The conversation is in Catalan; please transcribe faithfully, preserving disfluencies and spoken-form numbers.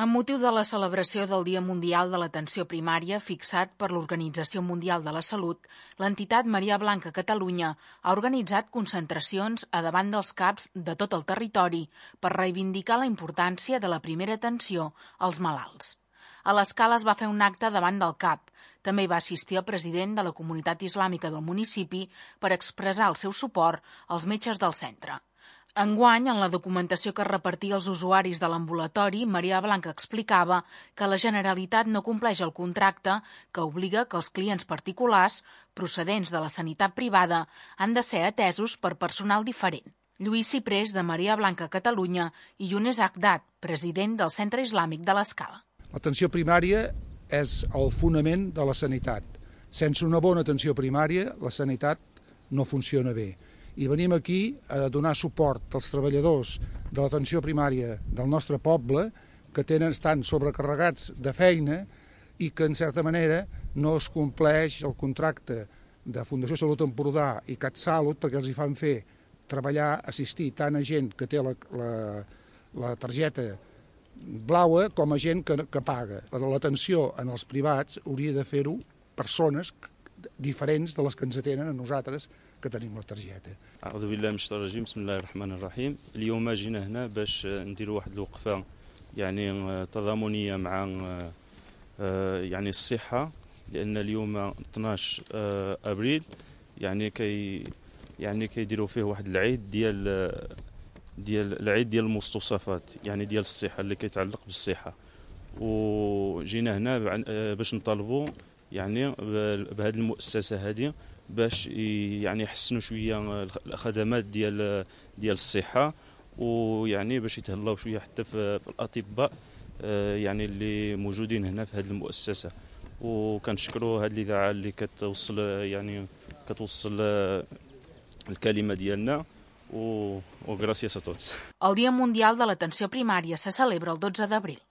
Amb motiu de la celebració del Dia Mundial de l'Atenció Primària fixat per l'Organització Mundial de la Salut, l'entitat Maria Blanca Catalunya ha organitzat concentracions a davant dels C A Ps de tot el territori per reivindicar la importància de la primera atenció als malalts. A l'Escala es va fer un acte davant del C A P. També hi va assistir el president de la comunitat islàmica del municipi per expressar el seu suport als metges del centre. Enguany, en la documentació que repartia als usuaris de l'ambulatori, Maria Blanca explicava que la Generalitat no compleix el contracte que obliga que els clients particulars, procedents de la sanitat privada, han de ser atesos per personal diferent. Lluís Ciprés, de Maria Blanca Catalunya, i Younes Aghdad, president del Centre Islàmic de l'Escala. L'atenció primària és el fonament de la sanitat. Sense una bona atenció primària, la sanitat no funciona bé. I venim aquí a donar suport als treballadors de l'atenció primària del nostre poble que tenen, estan sobrecarregats de feina i que, en certa manera, no es compleix el contracte de Fundació Salut Empordà i CatSalut perquè els hi fan fer treballar, assistir tant a gent que té la, la, la targeta blaua com a gent que, que paga. L'atenció en els privats hauria de fer-ho persones diferents de les que ens atenen a nosaltres que tenim la targeta. أعوذ بالله من الشيطان الرجيم بسم الله الرحمن الرحيم اليوم جينا هنا باش نديروا واحد الوقفة يعني تضامنية مع يعني الصحة لأن اليوم اثناش أبريل يعني كي يعني كيديروا فيه واحد العيد ديال ديال العيد ديال المستوصفات يعني ديال الصحة اللي كيتعلق بالصحة وجينا هنا باش نطالبوا يعني بهذه المؤسسة هذه باش يعني يحسنوا شويه الخدمات ديال ديال الصحه ويعني باش يتهلاو شويه حتى في الاطباء يعني اللي موجودين هنا في هذه المؤسسه وكنشكروا هذه الاذاعه اللي كتوصل يعني كتوصل الكلمه ديالنا و وغراسياس a tots. El Dia Mundial de l'Atenció Primària se celebra el dotze d'abril.